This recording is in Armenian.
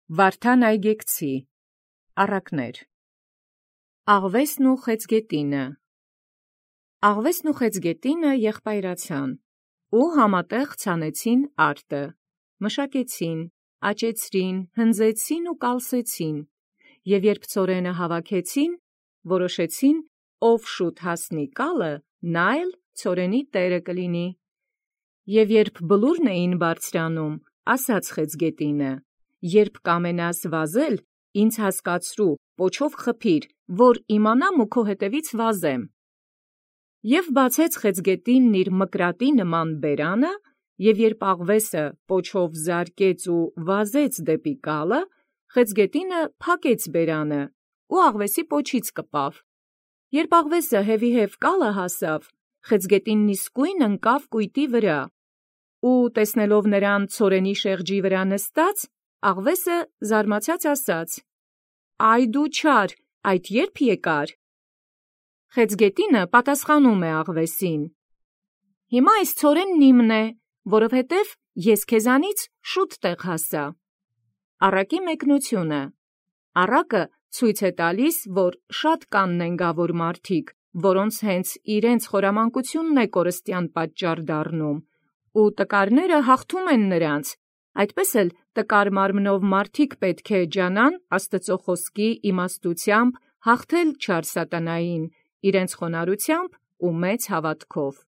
Վարդան այգեկցի առակներ։ Աղվեսն ու խեցգետինը։ Աղվեսն ու խեցգետինը եղբայրացան, ու համատեղ ցանեցին արտը, մշակեցին, աճեցրին, հնձեցին ու կալսեցին, և երբ ցորենը հավաքեցին, որոշեցին, ով շուտ հասնի կալը, նա էլ ցորենի տերը կլինի։ Եվ երբ բլուրն էին բարձրանում, ասաց խեցգետինը. «Երբ կամենաս վազել, ինձ հասկացրու, պոչով խփիր, որ իմանամ ու քո հետևից վազեմ»։ Եւ բացեց խեցգետինն իր մկրատի նման բերանը, եւ երբ աղվեսը պոչով զարկեց ու վազեց դեպի կալը, խեցգետինը փակեց բերանը ու աղվեսի պոչից կպավ։ Երբ աղվեսը հեւիհև կալը հասավ, խեցգետինն իսկույն ընկավ կույտի վրա, ու տեսնելով նրան ցորենի շեղջի վրա նստած, աղվեսը զարմացած ասաց. «Այ դու չար, այդ ե՞րբ եկար»։ Խեցգետինը պատասխանում է աղվեսին. «Հիմա այս ցորենն իմն է, որովհետև ես քեզանից շուտ տեղ հասա»։ Առակի մեկնությունը։ Առակը ցույց է տալիս, որ շատ կան նենգավոր մարդիկ, որոնց հենց իրենց խորամանկությունն է կորստյան պատճառ դառնում, ու տկարները հաղթում են նրանց, այդպես էլ տկար մարմնով մարդիկ պետք է ջանան Աստծո խոսքի իմաստությամբ հաղթել չար սատանային իրենց խոնարհությամբ ու մեծ հավատքով։